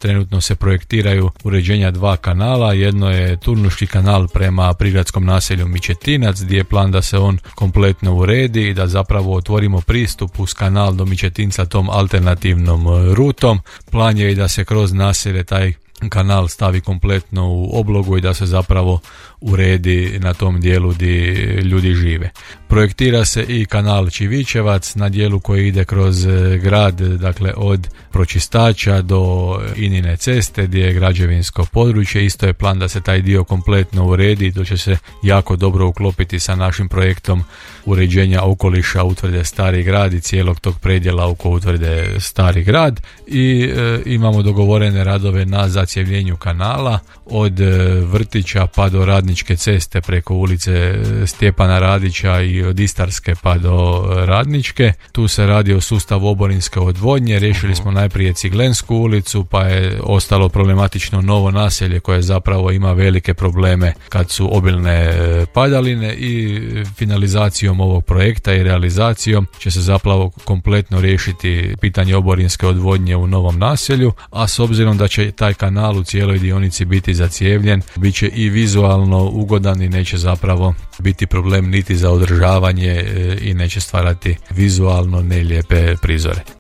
Trenutno se projektiraju uređenja 2 kanala, jedno je Turnuški kanal prema prigradskom naselju Mičetinac, gdje je plan da se on kompletno uredi i da zapravo otvorimo pristup uz kanal do Mičetinca tom alternativnom rutom. Plan je i da se kroz naselje taj kanal stavi kompletno u oblogu i da se zapravo uredi na tom dijelu gdje ljudi žive. Projektira se i kanal Čivičevac na dijelu koji ide kroz grad, dakle od pročistača do Inine ceste gdje je građevinsko područje. Isto je plan da se taj dio kompletno uredi, to će se jako dobro uklopiti sa našim projektom uređenja okoliša utvrde Stari grad i cijelog tog predjela oko utvrde Stari grad. I imamo dogovorene radove na zacjevljenju kanala od vrtića pa do Radničke ceste preko ulice Stjepana Radića i od Istarske pa do Radničke. Tu se radi o sustavu oborinske odvodnje. Riješili smo najprije Ciglensku ulicu, pa je ostalo problematično Novo naselje koje zapravo ima velike probleme kad su obilne padaline i finalizacijom ovog projekta i realizacijom će se zapravo kompletno riješiti pitanje oborinske odvodnje u Novom naselju, a s obzirom da će taj kanal u cijeloj dionici biti zacjevljen, bit će i vizualno ugodan i neće zapravo biti problem niti za održavanje i neće stvarati vizualno nelijepe prizore.